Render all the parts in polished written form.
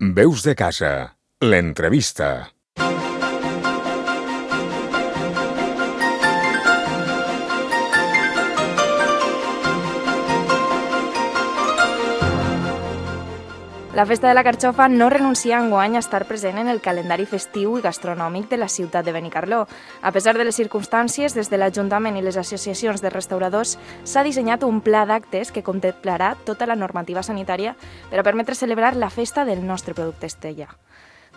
Veus de casa, l'entrevista. La Festa de la Carxofa no renuncia enguany a estar present en el calendari festiu i gastronòmic de la ciutat de Benicarló. A pesar de les circumstàncies, des de l'Ajuntament i les associacions de restauradors s'ha dissenyat un pla d'actes que contemplarà tota la normativa sanitària per a permetre celebrar la festa del nostre producte estrella.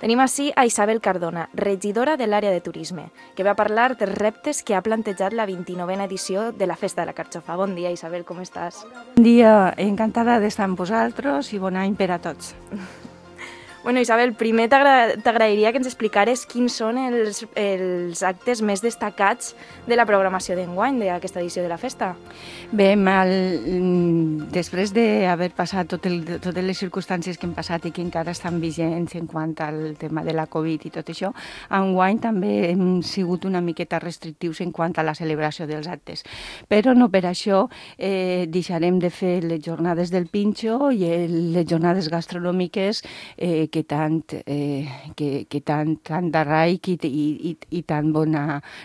Tenim ací a Isabel Cardona, regidora de l'àrea de turisme, que va parlar dels reptes que ha plantejat la 29a edició de la Festa de la Carxofa. Bon dia, Isabel, com estàs? Bon dia, encantada d'estar amb vosaltres i bon any per a tots. Bueno, Isabel, primer t'agrairia que ens explicares quins són els actes més destacats de la programació d'enguany d'aquesta edició de la festa. Bé, després d'haver passat totes les circumstàncies que hem passat i que encara estan vigents en quant al tema de la Covid i tot això, enguany també hem sigut una miqueta restrictius en quant a la celebració dels actes. Però no per això deixarem de fer les jornades del Pinxo i les jornades gastronòmiques que tant d'arraic i tan bon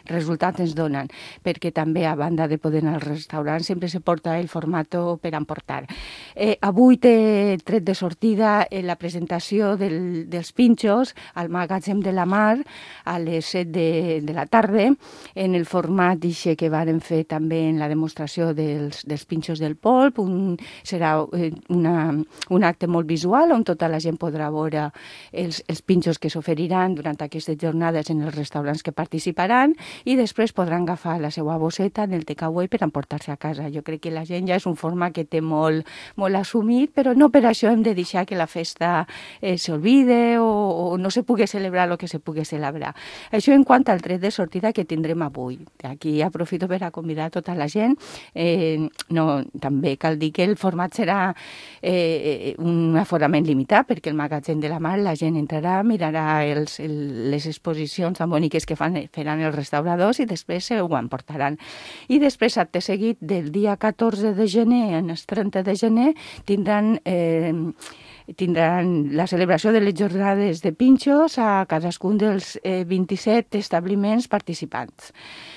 resultat ens donen, perquè també, a banda de poder anar als restaurants, sempre se porta el formato per emportar. Avui té tret de sortida la presentació dels pinxos al magatzem de la Mar a les 7 de la tarda, en el format que varen fer també en la demostració dels pinxos del polp. Serà un acte molt visual on tota la gent podrà veure els pinxos que s'oferiran durant aquestes jornades en els restaurants que participaran i després podran agafar la seva bosseta en el takeaway per emportar-se a casa. Jo crec que la gent ja és un format que té molt assumit, però no per això hem de deixar que la festa s'olvide o no se pugui celebrar el que se pugui celebrar. Això en quant al tret de sortida que tindrem avui. Aquí aprofito per a convidar tota la gent. També cal dir que el format serà un aforament limitat, perquè el magatzem de la Mar la gent entrarà, mirarà les exposicions tan boniques que faran els restauradors i després ho emportaran. I després, acte seguit, del dia 14 de gener al 30 de gener, tindran la celebració de les jornades de pinxos a cadascun dels 27 establiments participants.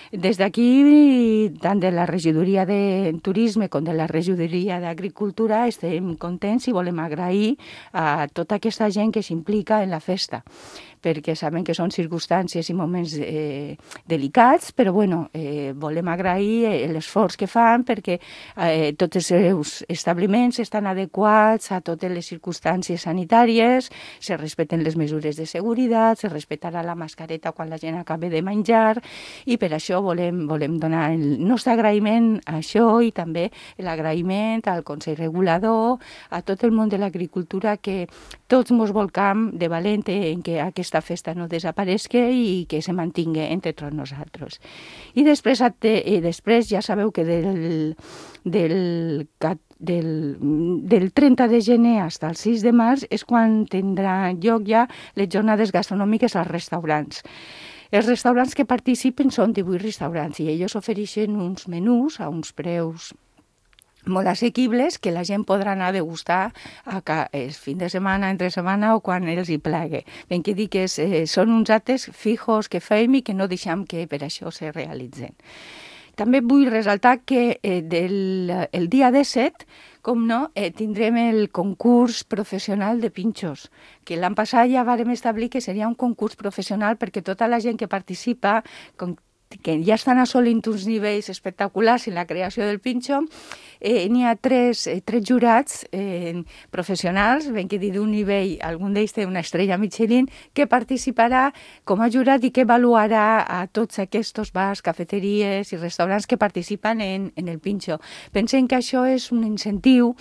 Des d'aquí, tant de la regidoria de turisme com de la regidoria d'agricultura, estem contents i volem agrair a tota aquesta gent que s'implica en la festa, perquè sabem que són circumstàncies i moments delicats, però volem agrair l'esforç que fan perquè tots els seus establiments estan adequats a totes les circumstàncies sanitàries, se respecten les mesures de seguretat, se respectarà la mascareta quan la gent acabi de menjar, i per això volem donar el nostre agraïment a això i també l'agraïment al Consell Regulador, a tot el món de l'agricultura, que tots mos volcam de valent en que aquesta festa no desaparesca i que se mantingui entre tots nosaltres. I després ja sabeu que del 30 de gener fins al 6 de març és quan tindran lloc ja les jornades gastronòmiques als restaurants. Els restaurants que participen són 18 restaurants i ells ofereixen uns menús a uns preus molt assequibles que la gent podrà anar a degustar el fin de setmana, entre setmana o quan els hi plegui. Ben que dir que són uns actes fijos que fem i que no deixem que per això se realitzen. També vull ressaltar que el dia 17, com no, tindrem el concurs professional de pinxos, que l'any passat ja vàrem establir que seria un concurs professional perquè tota la gent que participa, que ja estan assolint uns nivells espectaculars en la creació del pinxo, n'hi ha tres jurats professionals, ben que dir d'un nivell, algun d'ells té una estrella Michelin, que participarà com a jurat i que avaluarà a tots aquests bars, cafeteries i restaurants que participen en el pinxo. Pensem que això és un incentiu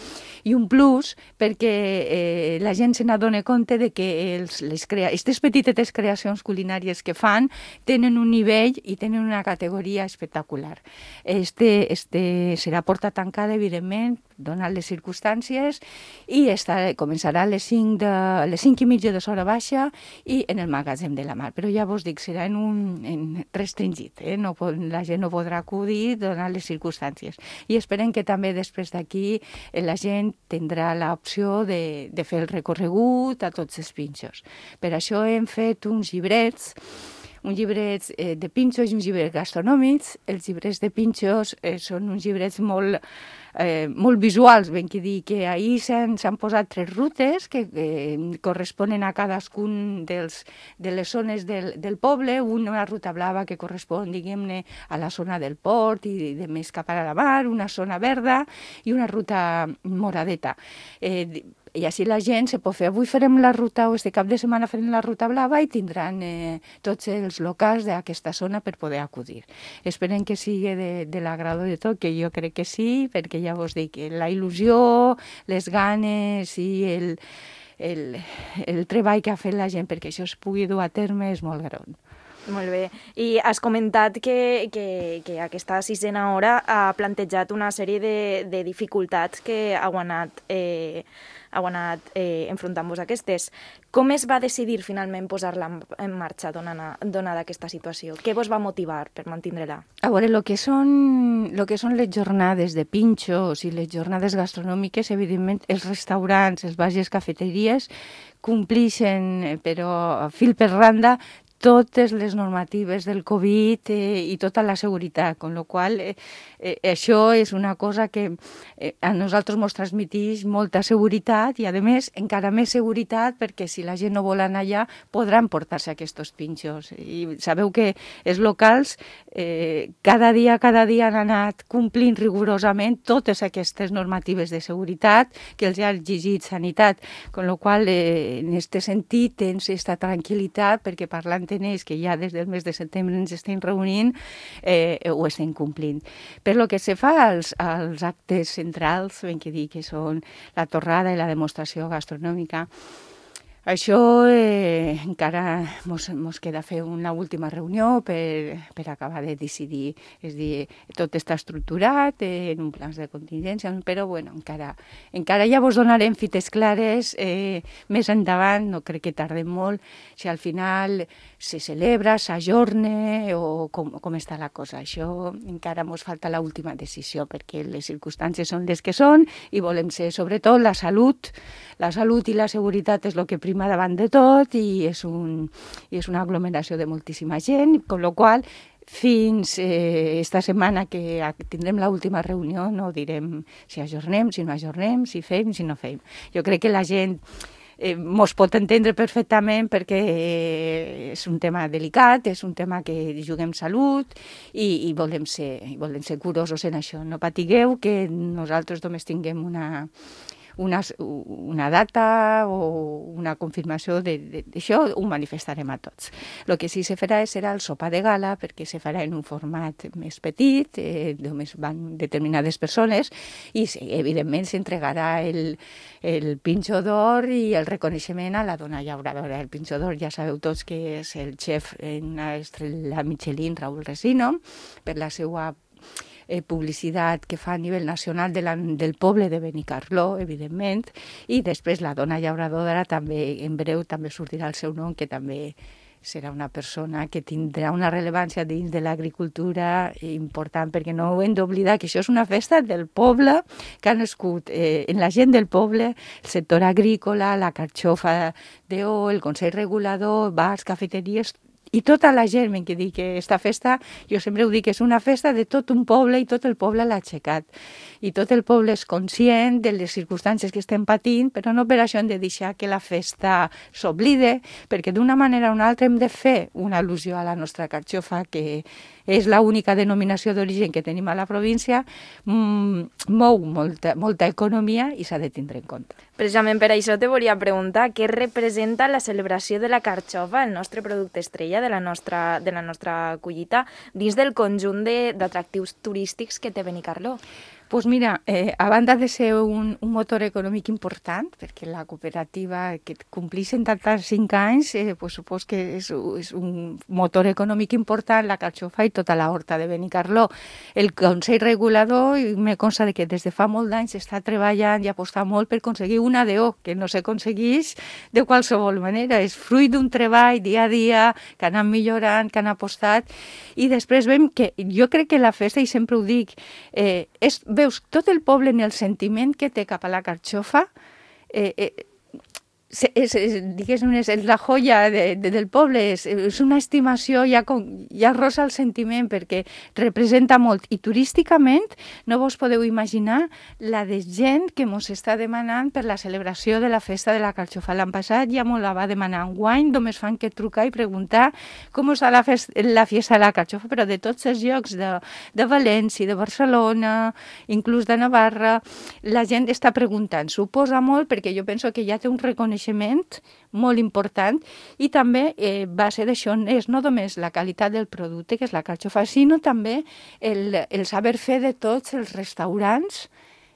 i un plus perquè la gent se n'adona compte de que aquestes petites creacions culinàries que fan tenen un nivell i tenen tenen una categoria espectacular. Este serà porta tancada, evidentment, donat les circumstàncies, i començarà a les 5 i mitja de l'hora baixa i en el magatzem de la Mar. Però ja vos dic, serà en restringit, no, la gent no podrà acudir donat les circumstàncies. I esperem que també després d'aquí la gent tindrà l'opció de fer el recorregut a tots els pinxos. Per això hem fet uns llibrets de pinxos i uns llibrets gastronòmics. Els llibrets de pinxos són uns llibrets molt visuals, ben que dir, que ahir s'han posat 3 rutes que corresponen a cadascun de les zones del poble, una ruta blava que correspon, diguem-ne, a la zona del port i de més cap a la mar, una zona verda i una ruta moradeta. I així la gent se pot fer, avui farem la ruta, o este cap de setmana farem la ruta blava, i tindran tots els locals d'aquesta zona per poder acudir. Esperem que sigui de l'agrado de tot, que jo crec que sí, perquè ja vos dic, la il·lusió, les ganes i el treball que ha fet la gent perquè això es pugui dur a terme és molt gran. Molt bé. I has comentat que aquesta 6a hora ha plantejat una sèrie de dificultats que heu anat enfrontant-vos aquestes. Com es va decidir finalment posar-la en marxa donada aquesta situació? Què vos va motivar per mantindre-la? A veure, el que són les jornades de pinxos i les jornades gastronòmiques, evidentment, els restaurants, els bars i les cafeteries complixen, però a fil per randa, totes les normatives del Covid i tota la seguretat, amb la qual això és una cosa que a nosaltres ens transmeteix molta seguretat i, a més, encara més seguretat perquè si la gent no vol anar allà podran portar-se aquests pinxos. I sabeu que els locals cada dia han anat complint rigorosament totes aquestes normatives de seguretat que els ha exigit Sanitat, amb la qual en aquest sentit tens aquesta tranquil·litat perquè parlant en ells, que ja des del mes de setembre ens estem reunint, ho estem complint. Per lo que se fa als actes centrals, ben que dir que són la torrada i la demostració gastronòmica, això encara ens queda fer una última reunió per acabar de decidir. És a dir, tot està estructurat en un plans de contingència, però bueno, encara ja vos donarem fites clares més endavant, no crec que tardem molt, si al final se celebra, s'ajorna o com està la cosa. Això encara ens falta l'última decisió perquè les circumstàncies són les que són i volem ser, sobretot, la salut i la seguretat és el que prima davant de tot i és una aglomeració de moltíssima gent, amb la qual fins esta setmana que tindrem l'última reunió no direm si ajornem, si no ajornem, si fem, si no fem. Jo crec que la gent mos pot entendre perfectament perquè és un tema delicat, és un tema que juguem salut i volem ser curosos en això. No patigueu que nosaltres només tinguem una data o una confirmació d'això, ho manifestarem a tots. El que sí se farà serà el sopar de gala, perquè se farà en un format més petit, només van determinades persones, i evidentment s'entregarà el pinxo d'or i el reconeixement a la dona llauradora. El pinxo d'or ja sabeu tots que és el xef en una estrella Michelin, Raúl Resino, per la seva publicitat que fa a nivell nacional del poble de Benicarló, evidentment, i després la dona llauradora també, en breu, també sortirà el seu nom, que també serà una persona que tindrà una rellevància dins de l'agricultura important, perquè no ho hem d'oblidar que això és una festa del poble que ha nascut en la gent del poble, el sector agrícola, la carxofa d'O, el Consell Regulador, bars, cafeteries, i tota la gent, ben que dic que aquesta festa, jo sempre ho dic, és una festa de tot un poble i tot el poble l'ha aixecat. I tot el poble és conscient de les circumstàncies que estem patint, però no per això hem de deixar que la festa s'oblide, perquè d'una manera o una altra hem de fer una al·lusió a la nostra carxofa, que és l'única denominació d'origen que tenim a la província, mou molta economia i s'ha de tindre en compte. Precisament per això te volia preguntar què representa la celebració de la carxofa, el nostre producte estrella de la nostra collita, dins del conjunt d'atractius turístics que té Benicarló. Pues mira, a banda de ser un motor econòmic important, perquè la cooperativa que complís 75 anys, pues supos que és un motor econòmic important, la carxofa i tota la horta de Benicarló. El Consell Regulador me consta de que des de fa molt d'anys està treballant i apostant molt per aconseguir una DO, que no s'aconsegueix de qualsevol manera. És fruit d'un treball dia a dia, que han anat millorant, que han apostat, i després veiem que jo crec que la festa, i sempre ho dic, veus tot el poble en el sentiment que té cap a la carxofa, diguéssim, és la joia del poble, és una estimació, ja rosa el sentiment, perquè representa molt. I turísticament no vos podeu imaginar la de gent que mos està demanant per la celebració de la festa de la carxofa. L'any passat ja mos la va demanar. Enguany només fan que trucar i preguntar com està la festa de la carxofa, però de tots els llocs, de València, de Barcelona, inclús de Navarra, la gent està preguntant. Suposa molt, perquè jo penso que ja té un reconeixement molt important, i també va ser d'això, és no només la qualitat del producte, que és la carxofa, sinó també el saber fer de tots els restaurants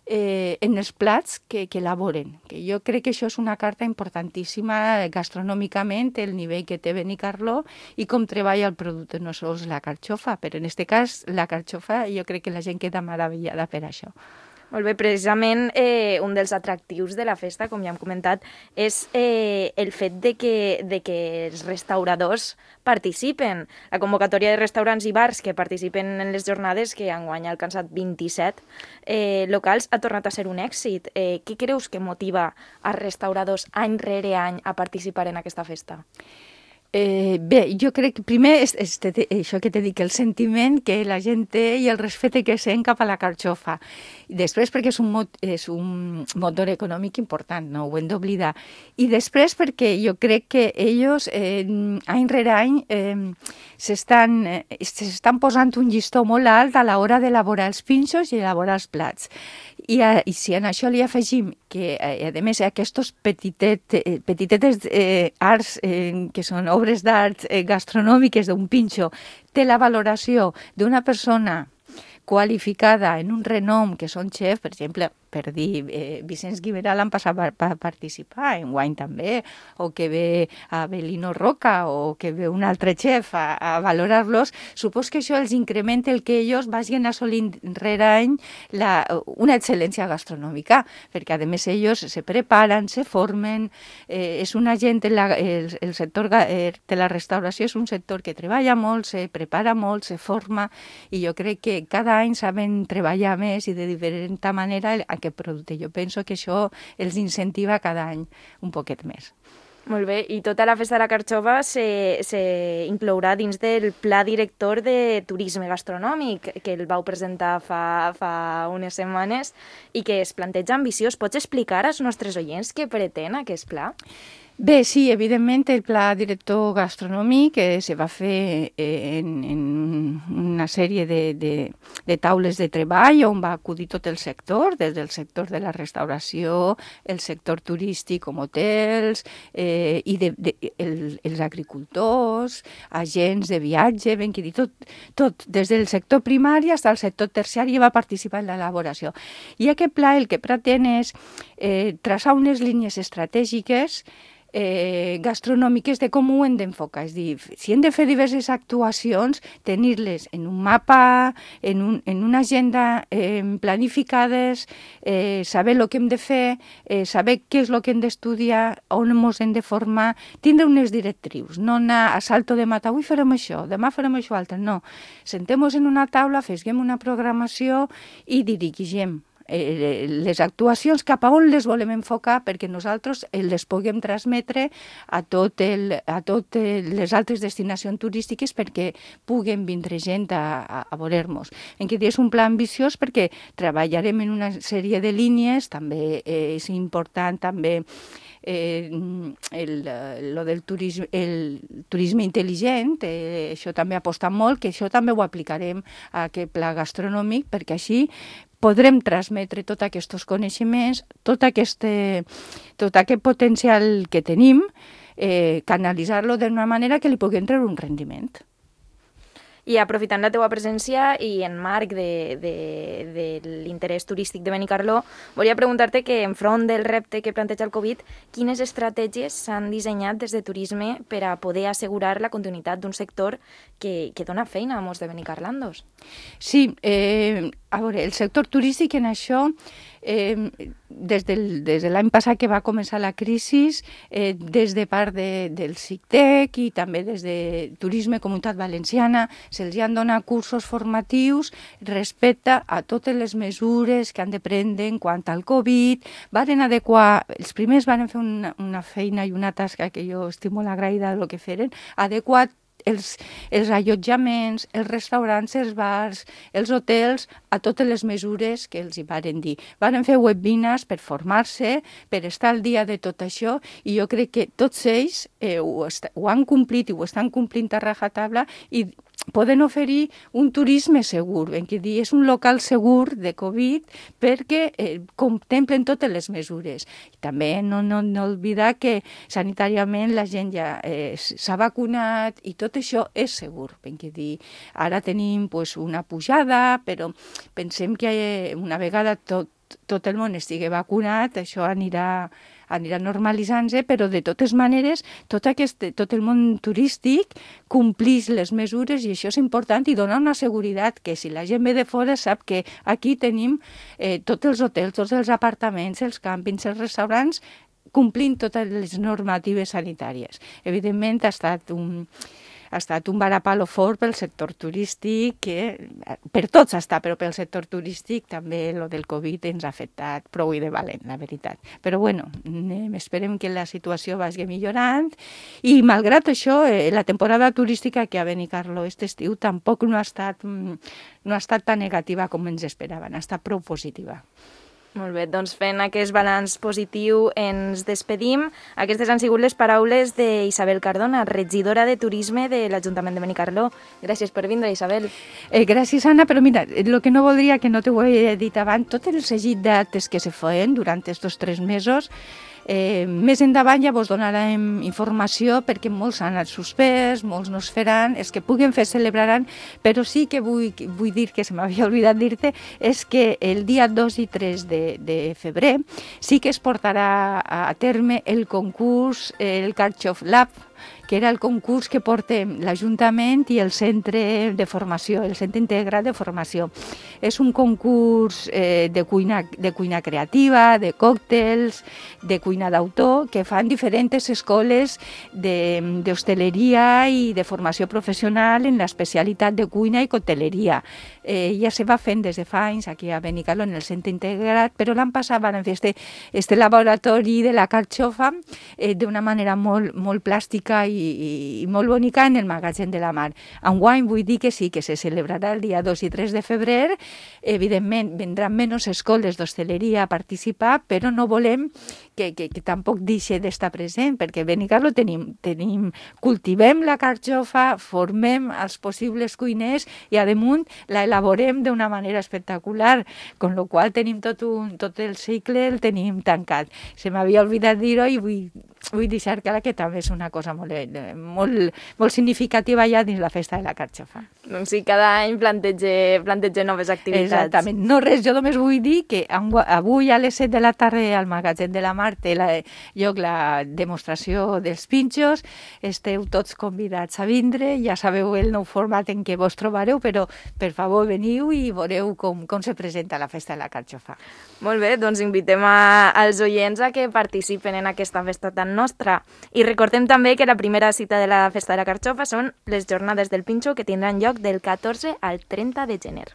en els plats que elaboren. Que jo crec que això és una carta importantíssima gastronòmicament, el nivell que té Benicarló i com treballa el producte, no sols la carxofa, però en aquest cas la carxofa jo crec que la gent queda meravellada per això. Molt bé, precisament un dels atractius de la festa, com ja hem comentat, és el fet de que els restauradors participen. La convocatòria de restaurants i bars que participen en les jornades, que enguany ha alcançat 27 locals, ha tornat a ser un èxit. Què creus que motiva els restauradors any rere any a participar en aquesta festa? Bé, jo crec que primer és això que t'he dit, el sentiment que la gent té i el respecte que sent cap a la carxofa. Després perquè és un motor econòmic important, no ho hem d'oblidar. I després perquè jo crec que ells any rere any s'estan posant un llistó molt alt a l'hora d'elaborar els pinxos i elaborar els plats. I si en això li afegim que, a més, aquests petitetes arts que són obres d'art gastronòmiques d'un pinxo, té la valoració d'una persona qualificada en un renom, que són xef, per exemple, per dir, Vicenç Guimerà l'han passat a participar, enguany també, o que ve Abelino Roca, o que ve un altre xef a valorar-los, supos que això els incrementa el que ells vagin assolint rere any una excel·lència gastronòmica, perquè a més ells se preparen, se formen, és una gent, el sector de la restauració és un sector que treballa molt, se prepara molt, se forma, i jo crec que cada any saben treballar més i de diferent manera aquest producte. Jo penso que això els incentiva cada any un poquet més. Molt bé, i tota la festa de la carxofa s'inclourà dins del Pla Director de Turisme Gastronòmic, que el vau presentar fa unes setmanes i que es planteja ambiciós. Pots explicar als nostres oients què pretén aquest pla? Bé, sí, evidentment el pla director gastronòmic se va fer en una sèrie de taules de treball on va acudir tot el sector, des del sector de la restauració, el sector turístic com hotels, i els agricultors, agents de viatge, ben que dir, tot, des del sector primari fins al sector terciari va participar en l'elaboració. I aquest pla el que pretén és traçar unes línies estratègiques gastronòmiques de com ho hem d'enfocar. És dir, si hem de fer diverses actuacions, tenir-les en un mapa, en una agenda planificades, saber el que hem de fer, saber què és el que hem d'estudiar, on ens hem de formar, tindre unes directrius, no anar a salto de mata, avui farem això, demà farem això altre, no. Sentem-nos en una taula, fesguem una programació i dirigim les actuacions cap a on les volem enfocar perquè nosaltres les puguem transmetre a totes les altres destinacions turístiques perquè puguen vindre gent a veure-nos. En què és un pla ambiciós perquè treballarem en una sèrie de línies, també és important també el turisme intel·ligent, això també aposta molt, que això també ho aplicarem a aquest pla gastronòmic perquè així podrem transmetre tots aquests coneixements, tot aquest potencial que tenim, canalitzar-lo d'una manera que li puguem treure un rendiment. I aprofitant la teua presència i en marc de l'interès turístic de Benicarló, volia preguntar-te que enfront del repte que planteja el Covid, quines estratègies s'han dissenyat des de turisme per a poder assegurar la continuïtat d'un sector que dona feina a molts de benicarlandos? Sí, a veure, el sector turístic en això, des de l'any passat que va començar la crisi, des de part del CICTEC i també des de Turisme Comunitat Valenciana, se'ls han donat cursos formatius respecte a totes les mesures que han de prendre en quant al Covid. Varen adequar, els primers van fer una feina i una tasca que jo estic molt agraïda del que feren, adequar els allotjaments, els restaurants, els bars, els hotels, a totes les mesures que els hi varen dir. Varen fer webinars per formar-se, per estar al dia de tot això, i jo crec que tots ells ho han complit i ho estan complint a rajatabla i poden oferir un turisme segur, en què dir, és un local segur de Covid perquè contemplen totes les mesures. I també no oblidar que sanitàriament la gent ja s'ha vacunat i tot això és segur. Dir, ara tenim una pujada, però pensem que una vegada tot el món estigui vacunat, això anirà normalitzant-se, però de totes maneres tot el món turístic complix les mesures i això és important i dona una seguretat que si la gent ve de fora sap que aquí tenim tots els hotels, tots els apartaments, els càmpings, els restaurants, complint totes les normatives sanitàries. Evidentment ha estat un varapalo fort pel sector turístic, que per tots està, però pel sector turístic també el del Covid ens ha afectat prou i de valent, la veritat. Però bueno, esperem que la situació vagi millorant i malgrat això, la temporada turística que a Benicarló aquest estiu tampoc no ha estat tan negativa com ens esperaven, ha estat prou positiva. Molt bé, doncs fent aquest balanç positiu ens despedim. Aquestes han sigut les paraules d'Isabel Cardona, regidora de Turisme de l'Ajuntament de Benicarló. Gràcies per vindre, Isabel. Gràcies, Anna, però mira, el que no voldria, que no t'ho he dit abans, tot el seguit d'actes que se feien durant aquests 3 mesos, més endavant ja vos donarem informació perquè molts han anat suspès, molts no es faran, els que puguen fer celebraran, però sí que vull dir, que se m'havia oblidat dir-te, és que el dia 2 i 3 de febrer sí que es portarà a terme el concurs, el Carchof Lab, que era el concurs que portem l'Ajuntament i el Centre de Formació, el Centre Integrat de Formació. És un concurs de cuina creativa, de còctels, de cuina d'autor, que fan diferents escoles d'hostaleria i de formació professional en l'especialitat de cuina i cocteleria. Ja se va fent des de fa anys aquí a Benicarló, en el Centre Integrat, però l'any passat van fer este laboratori de la carxofa d'una manera molt plàstica i molt bonica en el Magatzem de la Mar. Enguany vull dir que sí, que se celebrarà el dia 2 i 3 de febrer. Evidentment, vendran menys escoles d'hostaleria a participar, però no volem que tampoc deixi d'estar present, perquè a Benicarló cultivem la carxofa, formem els possibles cuiners i, a damunt, la elaborem d'una manera espectacular, con lo qual tenim tot el cicle, el tenim tancat. Se m'havia oblidat dir-ho i vull deixar clar que també és una cosa molt significativa ja dins la festa de la carxofa. Doncs sí, cada any planteja noves activitats. Exactament. No res, jo només vull dir que avui a les 7 de la tarda al Magatzem de la Mar té lloc la demostració dels pinxos. Esteu tots convidats a vindre, ja sabeu el nou format en què vos trobareu, però per favor veniu i veureu com se presenta la festa de la carxofa. Molt bé, doncs invitem als oients a que participen en aquesta festa tan nostra. I recordem també que la primera cita de la festa de la carxofa són les jornades del pinxo, que tindran lloc del 14 al 30 de gener.